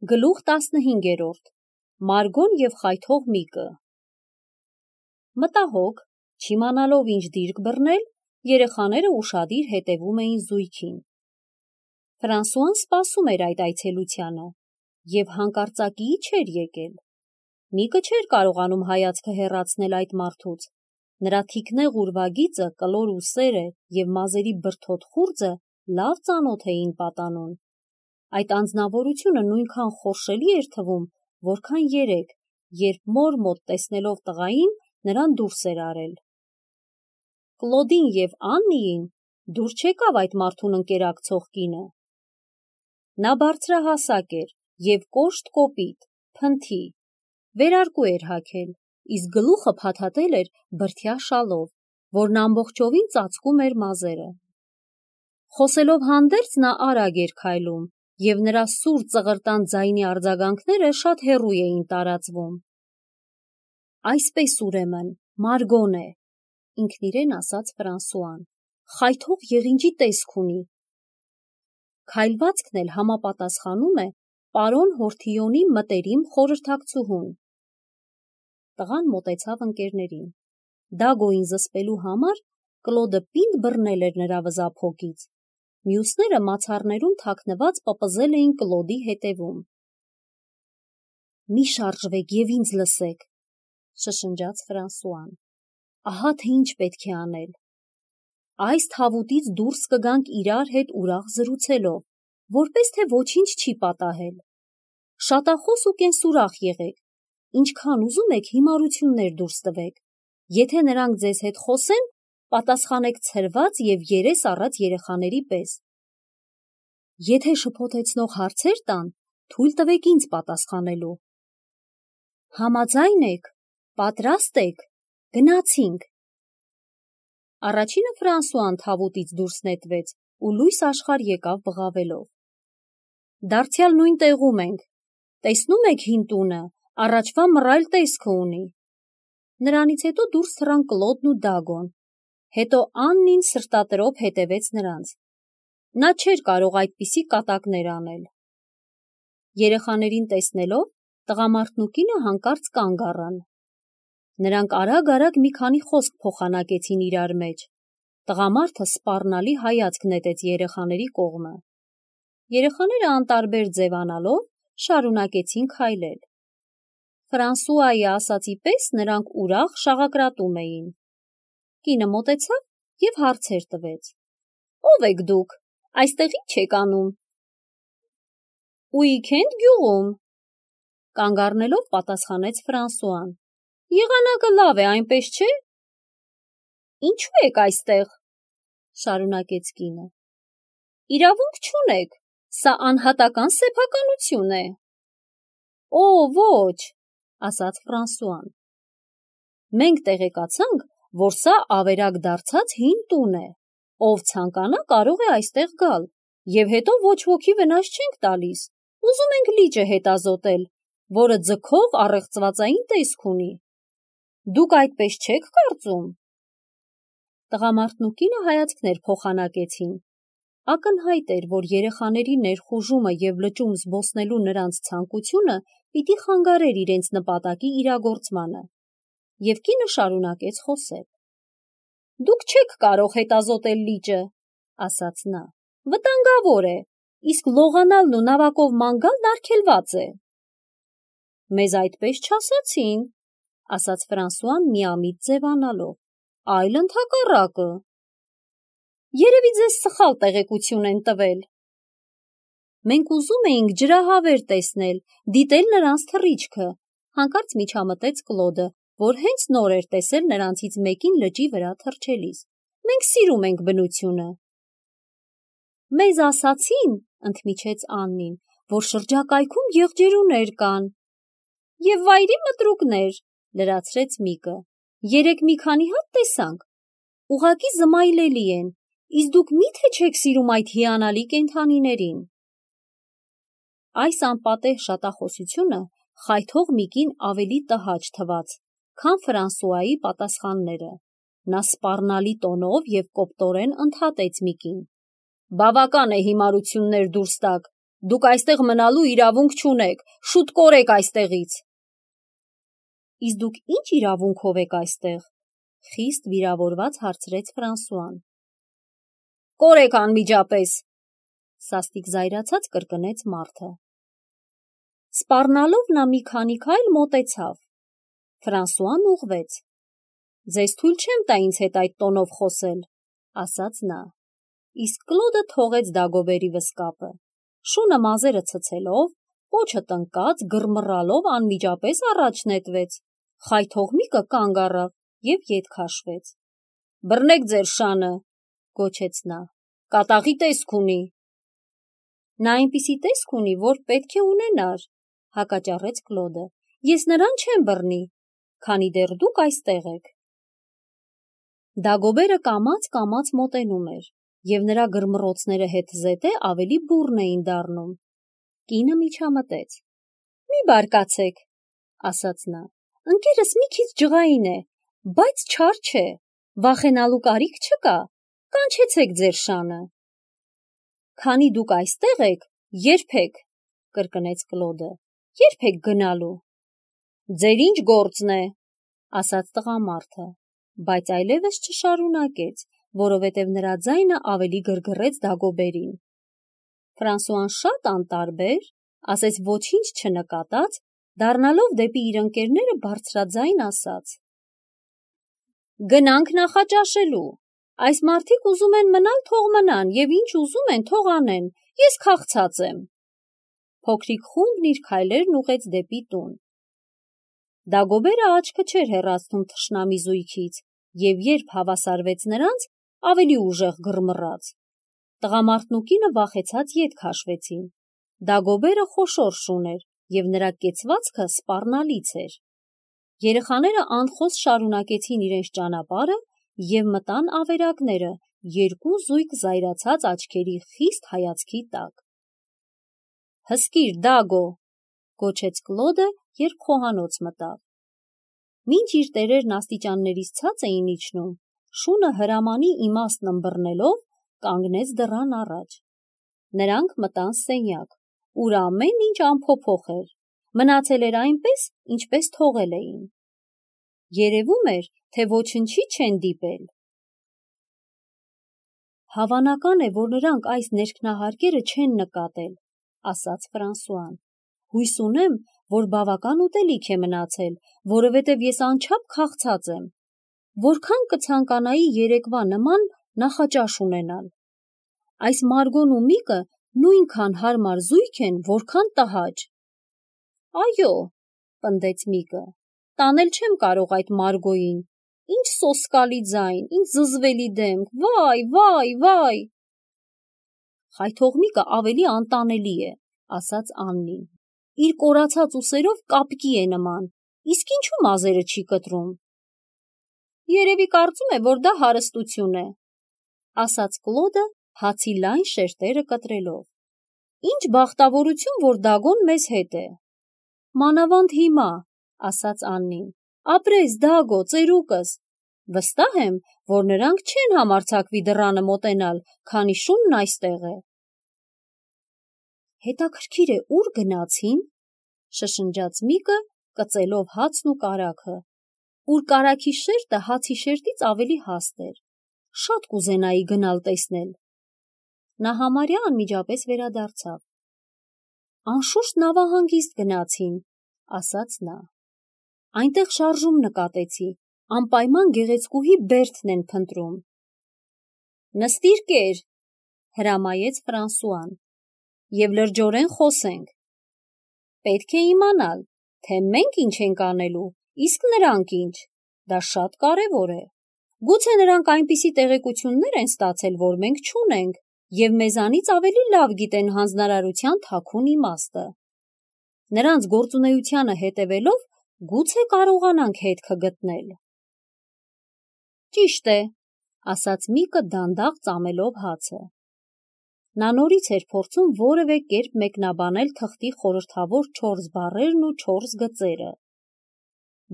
Գլուխ 15. Մարգոն և խայթող միկը։ Մտահոգ, չիմանալով ինչ դիրք բռնել, երեխաները ուշադիր հետևում էին զույգին։ Ֆրանսուան սպասում էր այդ այցելությանը և հանկարծակիի չէր եկել։ Միկը չէր կարողանում հայացքը հեռացնել այդ մարդուց։ Նրա թիկնեղ ուրվագիծը, կլոր ուսերը և մազերի բրդոտ խուրձը լավ ծանոթ էին պատանուն։ Այդ անձնավորությունը նույնքան խորշելի էր թվում, որքան երեկ, երբ մոր մոտ տեսնելով տղային, նրան դուրս էր արել։ Կլոդին և Աննիին դուր չեկավ այդ մարդուն ընկերակցող կինը։ Նա բարձրահասակ էր և կոշտ կոպիտ, փնթի, վերարկու էր հագել, իսկ գլուխը փաթաթել էր բրդյա շալով, որն ամբողջովին ծածկում էր մազերը։ Խոսելով հանդերձ նա արագ էր քայլում, և նրա սուր ծղրտան ձայնի արձագանքները շատ հեռու էին տարածվում։ Այսպես ուրեմն, Մարգոն է, ինքն իրեն ասաց Ֆրանսուան, խայթող եղինջի տեսք ունի։ Քայլվածքն էլ համապատասխանում է պարոն Հորթիոնի մտերիմ խորհրդակցուհուն։ Տղան մոտեցավ ընկերներին։ Դագոյին զսպելու համար Կլոդը պինդ բռնել էր նրա վզափոկից։ Մյուսները մացառներում թաքնված պպզել էին Կլոդի հետևում։ «Մի շարժվեք և ինձ լսեք», շշնջաց Ֆրանսուան։ «Ահա թե ինչ պետք է անել։ Այս թավուտից դուրս կգանք իրար հետ ուրախ զրուցելով, որպես թե ոչինչ չի պատահել։ Շատախոս ու կենսուրախ եղեք, ինչքան ուզում եք հիմարություններ դուրս տվեք։ Եթե նրանք ձեզ հետ խոսեն, պատասխանեք ցրված և երես առած երեխաների պես։ Եթե շփոթեցնող հարցեր տան, թույլ տվեք ինձ պատասխանելու։ Համաձայն եք, պատրաստ եք, գնացինք։ Առաջինը Ֆրանսուան թավուտից դուրս նետվեց ու լույս աշխարհ եկավ բղավելով։ Դարձյալ նույն տեղում ենք, տեսնում եք հին տունը, առաջվա մռայլ տեսքը ունի։ Նրանից հետո դուրս թռան Կլոդն ու Դագոն, հետո Աննին սրտատրոփ հետևեց նրանց։ Նա չէր կարող այդպիսի կատակներ անել։ Երեխաներին տեսնելով, տղամարդն ու կինը հանկարծ կանգ առան։ Նրանք արագ-արագ մի քանի խոսք փոխանակեցին իրար մեջ։ Տղամարդը սպառնալի հայացք նետեց երեխաների կողմը։ Երեխաները անտարբեր ձևանալով շարունակեցին քայլել։ Ֆրանսուայի ասածի պես նրանք ուրախ շաղակրատում էին։ Կինը մոտեցավ և հարցեր տվեց. «Ո՞վ եք դուք, այստեղ ի՞նչ եք անում»։ «Ուիքենդ գյուղում», կանգ առնելով պատասխանեց Ֆրանսուան։ «Եղանակը լավ է, այնպես չէ»։ «Ինչու եք այստեղ», շարունակեց կինը։ «Իրավունք չունեք, սա անհատական սեփականություն է»։ «Օ, ոչ», ասաց Ֆրանսուան։ «Մենք տեղեկացանք, որ սա ավերակ դարձած հին տուն է։ Ով ցանկանա կարող է այստեղ գալ, և հետո ոչ ոքի վնաս չենք տալիս, ուզում ենք լիճը հետազոտել, որը ձգող առեղծվածային տեսք ունի։ Դուք այդպես չեք կարծում»։ Տղամարդն ու կինը հայացքներ փոխանակեցին։ Ակնհայտ էր, որ երեխաների ներխուժումը և լճում զբոսնելու նրանց ցանկությունը պիտի խանգարեր իրենց նպատակի իրագործմանը, և կինը շարունակեց խոսել։ «Դուք չեք կարող հետազոտել լիճը», ասաց նա, «վտանգավոր է, իսկ լողանալն ու նավակով ման գալն արգելված է»։ «Մեզ այդպես չասացին», ասաց Ֆրանսուան միամիտ ձևանալով, «այլ ընդհակառակը»։ «Երևի ձեզ սխալ տեղեկություն են տվել»։ «Մենք ուզում էինք ջրահավեր տեսնել, դիտել նրանց թռիչքը», հանկարծ միջամտեց Կլոդը, որ հենց նոր էր տեսել նրանցից մեկին լճի վրա թռչելիս։ «Մենք սիրում ենք բնությունը»։ «Մեզ ասացին», ընդմիջեց Աննին, «որ շրջակայքում եղջերուներ կան»։ «Եվ վայրի մտրուկներ», լրացրեց Միկը։ «Երեկ մի քանի հատ տեսանք։ Ուղղակի զմայլելի են, իսկ դուք մի՞թե չեք սիրում այդ հիանալի կենդանիներին»։ Այս անպատեհ շատախոսությունը խայթող Միկին ավելի տհաճ թվաց, քան Ֆրանսուայի պատասխանները։ Նա սպառնալի տոնով և կոպտորեն ընդհատեց Միկին. «Բավական է հիմարություններ դուրս տաք, Դուք այստեղ մնալու իրավունք չունեք, շուտ կորեք այստեղից։ Իսկ դուք ինչ իրավունքով եք այստեղ, խիստ վիրավորված հարցրեց Ֆրանսուան։ Կորեք անմիջապես, սաստիկ զայրացած կրկնեց մարդը։ Սպառնալով նա մի քանի քայլ մոտեցավ։ Ֆրանսուան ուղղվեց։ Ձեզ թույլ չեմ տա ինձ հետ այդ տոնով խոսել, ասաց նա։ Իսկ Կլոդը թողեց Դագոբերի վսկապը։ Շունը մազերը ցցելով, պոչը տնկած, գրմռալով անմիջապես առաջ նետվեց։ Խայթողմիկը կանգ առավ և ետ քաշվեց։ Բռնեք ձեր շանը, գոչեց նա, կատաղի տեսք ունի։ Նա այնպիսի տեսք ունի, որ պետք է ունենար, հակաճառեց Կլոդը։ Ես նրան չեմ բռնի, քանի դեռ դուք այստեղ եք։ Դագոբերը կամաց մոտենում էր, և նրա գրմռոցները հետզհետե ավելի բուռն էին դառնում։ Կինը միջամտեց։ Մի բարկացեք, ասաց նա, ընկերս մի քիչ ջղային է, բայց չար չէ, վախենալու կարիք չկա, կանչեցեք ձեր շանը։ Քանի դուք այստեղ եք, երբեք, կրկնեց Կլոդը, երբեք գնալու։ Ձեր ինչ գործն է, ասաց տղամարդը, բայց այլևս չշարունակեց, որովհետև նրա ձայնը ավելի գրգռեց Դագոբերին։ Ֆրանսուան շատ անտարբեր, ասես ոչինչ չնկատած, դառնալով դեպի իր ընկերները բարձրաձայն ասաց. Գնանք նախաճաշելու, այս մարդիկ ուզում են մնալ, թող մնան, և ինչ ուզում են, թող անեն, ես քաղցած եմ։ Փոքրիկ խումբն իր քայլերն ուղղեց դեպի տուն։ Դագոբերը աչքը չէր հեռացնում թշնամի զույգից, և երբ հավասարվեց նրանց, ավելի ուժեղ գրմռաց։ Տղամարդն ու կինը վախեցած ետ քաշվեցին։ Դագոբերը խոշոր շուն էր, և նրա կեցվածքը սպառնալից էր։ Երեխաները անխոս շարունակեցին իրենց ճանապարհը և մտան ավերակները, երկու զույգ զայրացած աչքերի խիստ հայացքի տակ։ Հսկիր, Դագո, գոչեց Կլոդը, երբ խոհանոց մտավ։ Մինչ իր տերերն աստիճաններից ցած էին իջնում, շունը հրամանի իմաստն ըմբռնելով կանգնեց դռան առաջ։ Նրանք մտան սենյակ, ուր ամեն ինչ անփոփոխ էր, մնացել էր այնպես, ինչպես թողել էին։ Երևում էր, թե ոչնչի չեն դիպել։ Հավանական է, որ նրանք այս ներքնահարկերը չեն նկատել, ասաց Ֆրանսուան։ Հույս ունեմ, որ բավական ուտելիք է մնացել, որովհետև ես անչափ քաղցած եմ։ Որքան կցանկանայի երեկվա նման նախաճաշ ունենալ։ Այս Մարգոն ու Միկը նույնքան հարմար զույգ են, որքան տհաճ։ Այո, պնդեց Միկը, տանել չեմ կարող այդ Մարգոյին, ինչ սոսկալի ձայն, ինչ զզվելի դեմք, վայ, վայ, վայ։ Խայթողմիկը ավելի անտանելի է, ասաց Աննին, իր կորացած ուսերով կապկի է նման, իսկ ինչու մազերը չի կտրում։ Երևի կարծում է, որ դա հարստություն է, ասաց Կլոդը, հացի լայն շերտերը կտրելով։ Ինչ բախտավորություն, որ Դագոն մեզ հետ է։ Մանավանդ հիմա, ասաց Աննին, ապրես Դագո, ծերուկս, վստահ եմ, որ նրանք չեն համարձակվի դռանը մոտենալ, քանի շունն այստեղ է։ Հետաքրքիր է, ուր գնացին, շշնջաց Միկը, կծելով հացն ու կարագը, ուր կարագի շերտը հացի շերտից ավելի հաստ էր։ Շատ կուզենայի գնալ տեսնել։ Նա համարյա անմիջապես վերադարձավ։ Անշուշտ նավահանգիստ գնացին, ասաց նա։ Այնտեղ շարժում նկատեցի, անպայման գեղեցկուհի Բերթն են փնտրում։ Նստիր կեր, հրամայեց Ֆրանսուան, և լրջորեն խոսենք։ Պետք է իմանալ, թե մենք ինչ ենք անելու, իսկ նրանք ինչ, դա շատ կարևոր է։ Գուցե նրանք այնպիսի տեղեկություններ են ստացել, որ մենք չունենք, և մեզանից ավելի լավ գիտեն հանձնարարության թաքուն իմաստը։ Նրանց գործունեությանը հետևելով, գուցե կարողանանք հետքը գտնել։ Ճիշտ է, ասաց Միկը դանդաղ ծամելով հացը։ Նա նորից էր փորձում որևէ կերպ մեկնաբանել թղթի խորհրդավոր 4 բառերն ու 4 գծերը։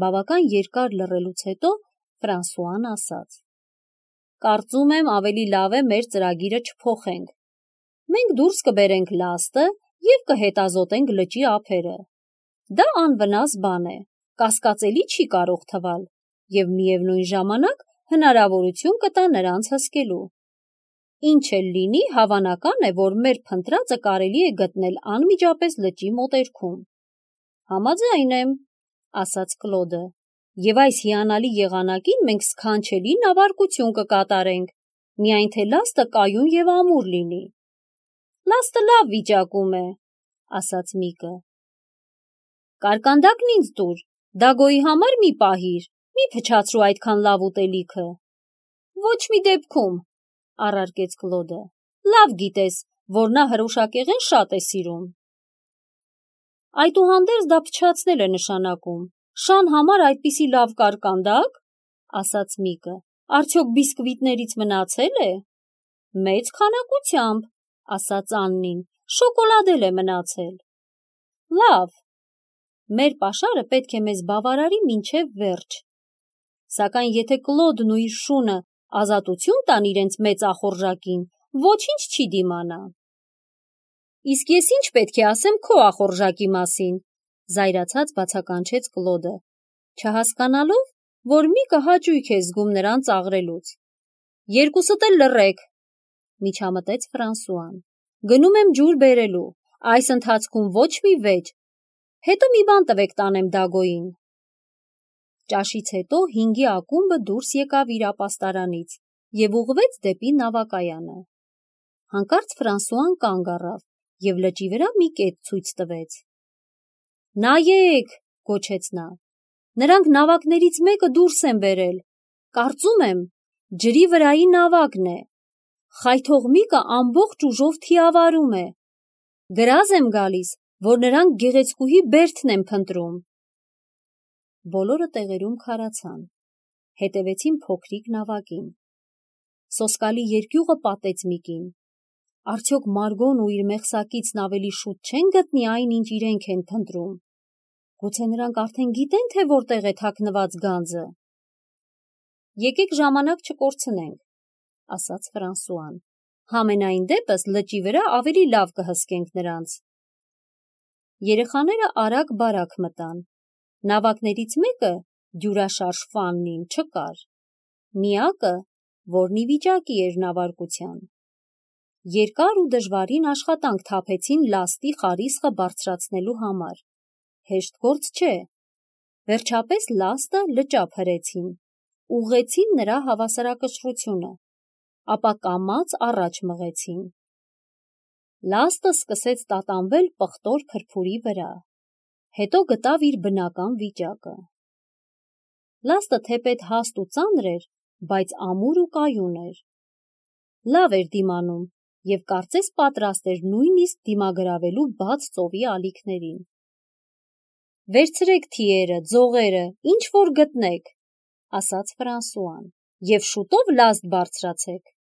Բավական երկար լռելուց հետո Ֆրանսուան ասաց. Կարծում եմ ավելի լավ է մեր ծրագիրը չփոխենք։ Մենք դուրս կբերենք լաստը և կհետազոտենք լճի ափերը։ Դա անվնաս բան է, կասկածելի չի կարող թվալ և միևնույն ժամանակ հնարավորություն կտա նրանց հսկելու։ Ինչ էլ լինի, հավանական է, որ մեր փնտրածը կարելի է գտնել անմիջապես լճի մոտերքում։ Համաձայն եմ, ասաց Կլոդը, և այս հիանալի եղանակին մենք սքանչելի նավարկություն կկատարենք, միայն թե լաստը կայուն և ամուր լինի։ Լաստը լավ վիճակում է, ասաց Միկը։ Կարկանդակն ինձ տուր, Դագոյի համար մի պահիր, մի փչացրու այդքան լավ ուտելիքը։ Ոչ մի դեպքում, առարկեց Կլոդը, լավ գիտես, որ նա հրուշակեղեն շատ է սիրում։ Այդուհանդերձ դա փչացնել է նշանակում, շան համար այդպիսի լավ կարկանդակ, ասաց Միկը, արդյոք բիսկվիտներից մնացել է։ Մեծ քանակությամբ, ասաց Աննին, շոկոլադ էլ է մնացել։ Լավ, մեր պաշարը պետք է մեզ բավարարի մինչև վերջ։ Սակայն եթե Կլոդն ու իր շունը ազատություն տան իրենց մեծ ախորժակին, ոչինչ չի դիմանա։ Իսկ ես ինչ պետք է ասեմ քո ախորժակի մասին, զայրացած բացականչեց Կլոդը, չհասկանալով, որ Միկը հաճույք է զգում նրան ծաղրելուց։ Երկուսդ էլ լռեք, միջամտեց Ֆրանսուան։ Գնում եմ ջուր բերելու, այս ընթացքում ոչ մի վեճ, հետո մի բան տվեք տանեմ Դագոյին։ Ճաշից հետո 5-ի ակումբը դուրս եկավ իր ապաստարանից և ուղղվեց դեպի նավակայանը։ Հանկարծ Ֆրանսուան կանգ առավ և լճի վրա մի կետ ցույց տվեց։ Նայեք, գոչեց նա, նրանք նավակներից մեկը դուրս են բերել, կարծում եմ, ջրի վրայի նավակն է, խայթող Միկը ամբողջ ուժով թիավարում է, գրազ եմ գալիս, որ նրանք գեղեցկուհի Բերթն են փնտրում։ Բոլորը տեղերում քարացան, հետևեցին փոքրիկ նավակին։ Սոսկալի երկյուղը պատեց Միկին։ Արդյոք Մարգոն ու իր մեղսակիցն ավելի շուտ չեն գտնի այն, ինչ իրենք են փնտրում։ Գուցե նրանք արդեն գիտեն, թե որտեղ է թաքնված գանձը։ Եկեք ժամանակ չկորցնենք, ասաց Ֆրանսուան։ Համենայն դեպս լճի վրա ավելի լավ կհսկենք նրանց։ Երեխաները արագ-բարակ մտան։ Նավակներից մեկը, դյուրաշարժ Ֆաննին, չկար։ Միակը, որն ի վիճակի էր նավարկության։ Երկար ու դժվարին աշխատանք թափեցին լաստի խարիսխը բարձրացնելու համար։ Հեշտ գործ չէ։ Վերջապես լաստը լճափ հրեցին, ուղղեցին նրա հավասարակշռությունը, ապա կամաց առաջ մղեցին։ Լաստը սկսեց տատանվել պղտոր փրփուրի վրա, հետո գտավ իր բնական վիճակը։ Լաստը թեպետ հաստ ու ծանր էր, բայց ամուր ու կայուն էր։ Լավ էր դիմանում և կարծես պատրաստ էր նույնիսկ դիմագրավելու բաց ծովի ալիքներին։ Վերցրեք թիերը, ձողերը, ինչ որ գտնեք, ասաց Ֆրանսուան, և շուտով լաստ բարձրացեք։